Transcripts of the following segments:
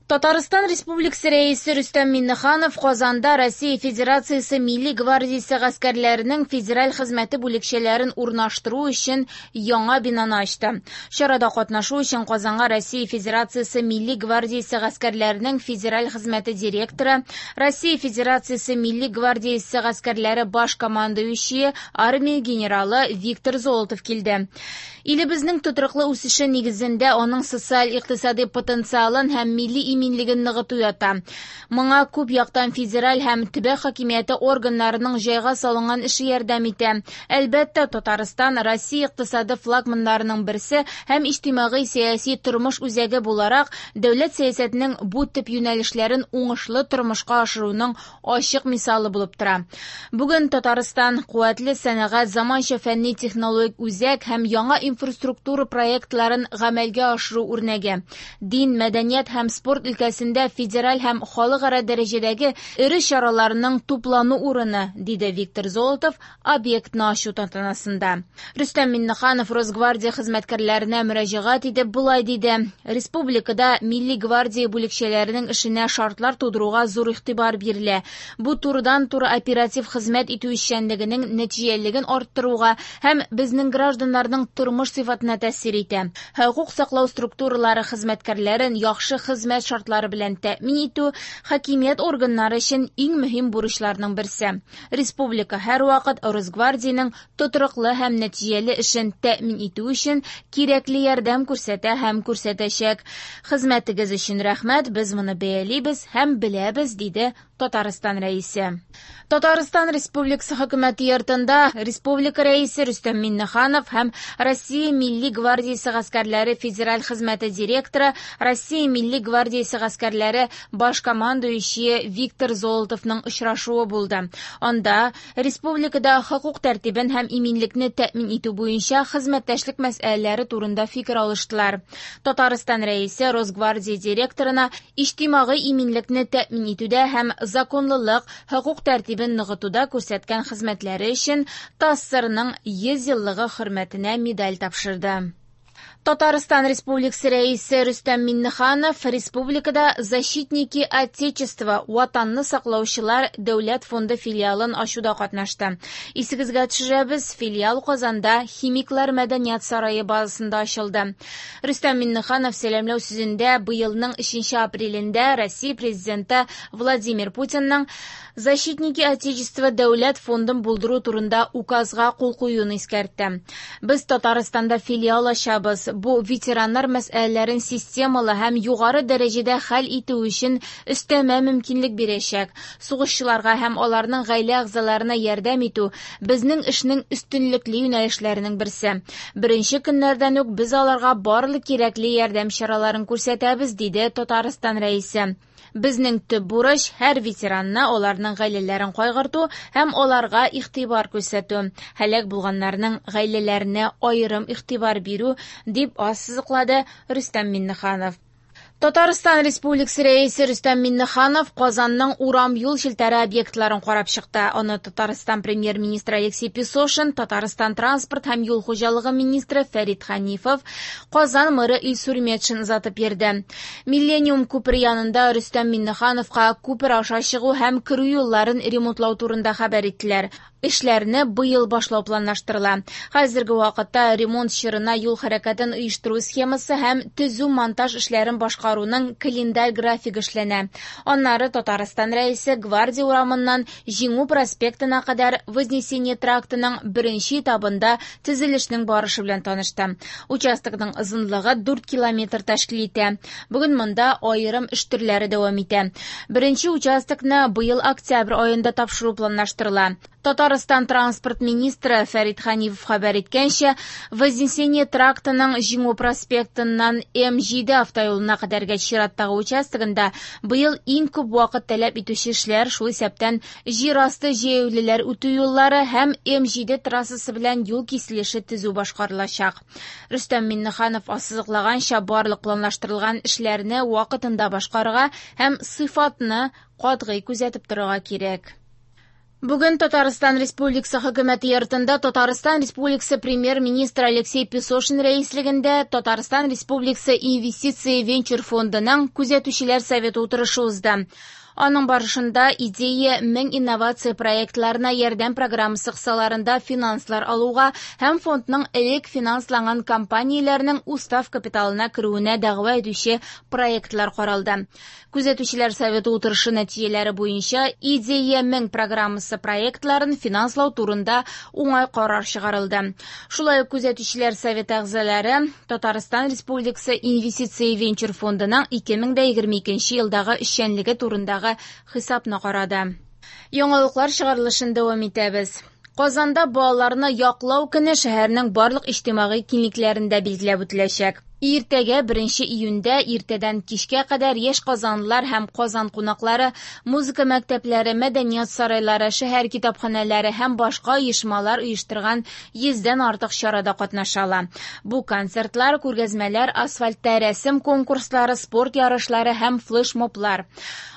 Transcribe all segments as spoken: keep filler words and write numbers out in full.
Татарстан Республикасы Рәисе Рөстәм Миңнеханов Казанда Россия Федерациясе Милли гвардиясе гаскәрләренең федераль хезмәте бүлекчәләрен урнаштыру өчен яңа бинаны ачты. Чарада катнашу өчен Казанга Россия Федерациясе Милли гвардиясе гаскәрләренең федераль хезмәте директоры, Россия Федерациясе Милли гвардиясе гаскәрләре баш командующие армия генералы Виктор Золотов килде. Илебезнең тотрыклы үсеше нигезендә аның социаль-икътисади потенциалын һәм милли иминлеген ныгыту ята. Моңа күп яктан федераль һәм төбәк хакимияте органнарының җайга салынган эше ярдәм итә. Әлбәттә, Татарстан Россия икътисады флагманнарының берсе һәм иҗтимагый-сәяси тормыш үзәге буларак дәүләт сәясәтенең бу төп юнәлешләрен уңышлы тормышка ашыруның ачык мисалы булып тора. Бүген Татарстан куәтле сәнәгать, заманча фәнни-технологик үзәк һәм яңа инфраструктура проектларын гамәлгә ашыру үрнәге. Дин, мәдәният һәм спорт өлкәсендә федераль һәм халыкара дәрәҗәдәге эре чараларның туплану урыны, диде Виктор Золотов объектны ачу тантанасында. Рөстәм Миңнеханов Росгвардия хезмәткәрләренә мөрәҗәгать итеп болай диде: Республикада Милли гвардия бүлекчәләренең эшенә шартлар тудыруга зур игътибар бирелә. Бу турыдан-туры оператив хезмәт итү эшчәнлегенең нәтиҗәлелеген арттыруга һәм безнең гражданнарның тормыш сыйфатына тәэсир итә. Хокук саклау структуралары хезмәткәрләрен яхшы хезмәт шартлары белән тәэмин итү хакимият органнары өчен иң мөһим бурычларның берсе. Республика һәрвакыт Росгвардиянең тотрыклы һәм нәтиҗәле эшен тәэмин итү өчен кирәкле ярдәм күрсәтә һәм күрсәтәчәк. Хезмәтегез өчен рәхмәт, без моны бәялибез һәм беләбез, диде Татарстан Рәисе. Татарстан Республикасы хөкүмәте йортында Республика Рәисе Рөстәм Миңнеханов һәм Россия Милли гвардиясе гаскәрләре федераль хезмәте директоры, Россия Милли гвардиясе гаскәрләре баш командующие Виктор Золотовның очрашуы булды. Анда республикада хокук тәртибен һәм иминлекне тәэмин итү буенча хезмәттәшлек мәсьәләләре турында фикер алыштылар. Татарстан Рәисе Росгвардия директорына иҗтимагый иминлекне тәэмин итүдә һәм законлылык, хокук тәртибен ныгытуда күрсәткән хезмәтләре өчен ТАССРның йөз еллыгы хөрмәтенә медаль тапшырды. Татарстан Республикасы Рәисе Рөстәм Миңнеханов республикада Защитники Отечества Ватанны саклаучылар дәүләт фонды филиалын ачуда катнашты. Исегезгә төшерәбез, филиал Казанда Химиклар мәдәният сарае базасында ачылды. Рөстәм Миңнеханов сәламләү сүзендә быелның өченче апрелендә Россия Президенты Владимир Путинның Защитники Отечества дәүләт фондын булдыру турында указга кул куюын искәртте. Без Татарстанда филиал ачабыз. Бу ветераннар мәсьәләләрен системалы һәм югары дәрәҗәдә хәл итү өчен өстәмә мөмкинлек бирәчәк. Сугышчыларга һәм аларның гаилә әгъзаларына ярдәм итү безнең эшнең өстенлекле юнәлешләренең берсе. Беренче көннәрдән үк без аларга барлык кирәкле ярдәм чараларын күрсәтәбез, диде Татарстан Рәисе. Безнең төп бурыч һәр ветеранны, аларның гаиләләрен кайгырту һәм аларга игътибар күрсәтү, һәлак булганнарның гаиләләренә аерым игътибар бирү, дип ассызыклады Рөстәм Миңнеханов. Татарстан Республикасы Рәисе Рөстәм Миңнеханов Казанның урам юл челтәре объектларын карап чыкты. Аны Татарстан премьер-министры Алексей Песошин, Татарстан транспорт һәм юл хуҗалыгы министры Фәрит Ханифов, Казан мэры Илсур Метшин озатып йөрде. Миллениум күпере янында Рөстәм Миңнехановка күпер аша чыгу һәм керү юлларын ремонтлау турында хәбәр иттеләр. Эшләрне быел башлау планлаштырыла. Хәзерге вакытта ремонт чорына юл хәрәкәтен оештыру схемасы һәм төзү-монтаж эшләрен башкаруның календарь графигы эшләнә. Аннары Татарстан Рәисе Гвардия урамыннан Җиңү проспектына кадәр Вознесение трактының беренче этабында төзелешнең барышы белән танышты. Участокның озынлыгы дүрт километр тәшкил итә. Бүген монда аерым эш төрләре дәвам итә. Беренче участокны быел октябрь аенда тапшыру планлаштырыла. Татарстан транспорт министры Фәрит Ханифов хәбәр иткәнчә, Вознесение трактының Җиңү проспектыннан М җиде автоюлына кадәрге чираттагы участогында быел иң күп вакыт таләп итүче эшләр, шул исәптән җир асты җәяүлеләр үтү юллары һәм М җиде трассасы белән юл киселеше төзү башкарылачак. Рөстәм Миңнеханов ассызыклаганча, барлык планлаштырылган эшләрне вакытында башкарырга һәм сыйфатны катгый күзәтеп торырга кирәк. Бүген Татарстан Республикасы Хөкүмәте йортында Татарстан Республикасы Премьер-министры Алексей Песошин рәислегендә Татарстан Республикасы Инвестиция венчур фондының күзәтүчеләр советы утырышы узды. Аның барышында «Идея мең» инновация проектларына ярдәм программасы кысаларында финанслар алуга һәм фондның элек финансланган компанияләренең устав капиталына керүенә дәгъва итүче проектлар каралды. Күзәтүчеләр советы утырышы нәтиҗәләре буенча «Идея мең» программасы проектларын финанслау турында уңай карар чыгарылды. Шулай ук күзәтүчеләр советы әгъзалары Татарстан Республикасы Инвестиция венчур фондының ике мең дә егерме икенче елдагы эшчәнлеге турындагы хисапны карады. Яңалыклар чыгарылышын дәвам итәбез. Казанда балаларны яклау көне шәһәрнең барлык иҗтимагый киңлекләрендә билгеләп үтеләчәк. Иртәгә беренче июньдә иртәдән кичкә кадәр яшь казанлылар һәм Казан кунаклары музыка мәктәпләре, мәдәният сарайлары, шәһәр китапханәләре һәм башка оешмалар оештырган йөздән артык чарада катнаша ала. Бу концертлар, күргәзмәләр, асфальтта рәсем конкурслары, спорт ярышлары һәм флешмоблар.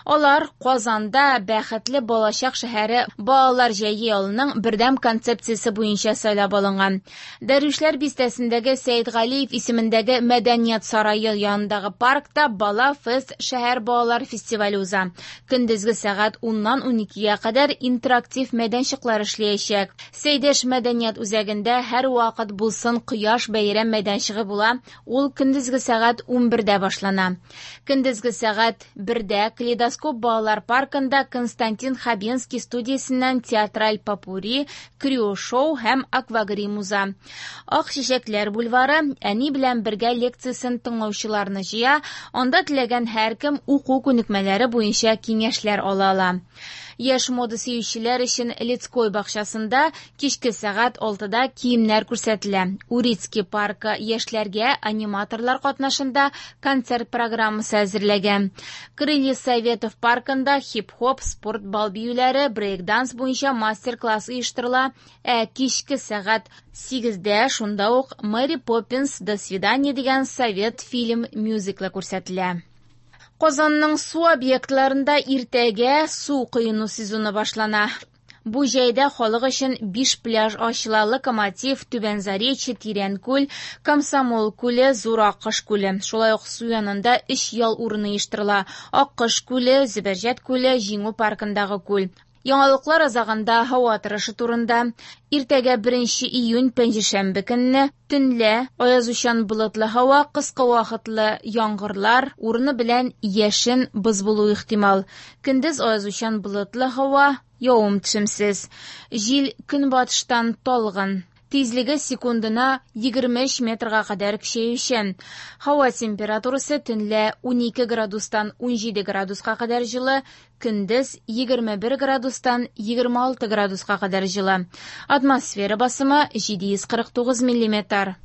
Алар Казанда бәхетле балачак шәһәре балалар җәйге ялының бердәм концепциясе буенча сайлап алынган. Дәрвишләр бистәсендәге Сәйдгалиев исемендәге Мәдәният сарае янындагы паркта Бала фест шәһәр балалар фестивале уза. Көндезге сәгать уннан уникегә кадәр интерактив мәйданчыклар эшләячәк. Сәйдәш мәдәният үзәгендә һәр вакыт булсын кояш бәйрәм мәйданчыгы була. Ул көндезге сәгать унбердә башлана. Көндезге сәгать бердә Калейдоскоп балалар паркында Константин Хабенский студиясеннән театраль попурри, крио-шоу һәм аквагрим уза. Ак чәчәкләр бульвары әни белән бергә лекциясен тыңлаучыларны җыя, анда теләгән һәркем уку күнекмәләре буенча киңәшләр ала ала. Яшь мода сөючеләр өчен Лицкой бакчасында кичке сәгать алтыда киемнәр күрсәтелә. Урицкий паркы яшьләргә аниматорлар катнашында концерт программасы әзерләгән. Крылья Советов паркында хип-хоп, спорт бал биюләре, брейк-данс буенча мастер-класс оештырыла. Ә кичке сәгать сигездә шунда ук Мэри Поппинс «До свидания» дигән совет фильм мюзиклы күрсәтелә. Казанның су объектларында иртәгә су коену сезоны башлана. Бу җәйдә халык өчен биш пляж ачыла: Локомотив, Түбән Заречье, Тирәнкүл, Комсомол күле, Зур Аккош күле. Шулай ук су янында өч ял урыны оештырыла: Аккош күле, Зөбәрҗәт күле, Җиңү паркындагы күл. Яңалыклар азагында һава торышы турында. Иртәгә беренче июнь пәнҗешәмбе көнне төнлә аязучан болытлы һава, кыска вакытлы яңгырлар, урыны белән яшен боз булу ихтимал. Көндез аязучан болытлы һава, явым-төшемсез. Җил көнбатыштан талгын. Тизлеге секундына егерме өч метрга кадәр көчәючән. Һава температурасы төнлә унике градустан унҗиде градуска кадәр җылы, көндез егерме бер градустан егерме алты градуска кадәр җылы. Атмосфера басымы җиде йөз кырык тугыз миллиметр.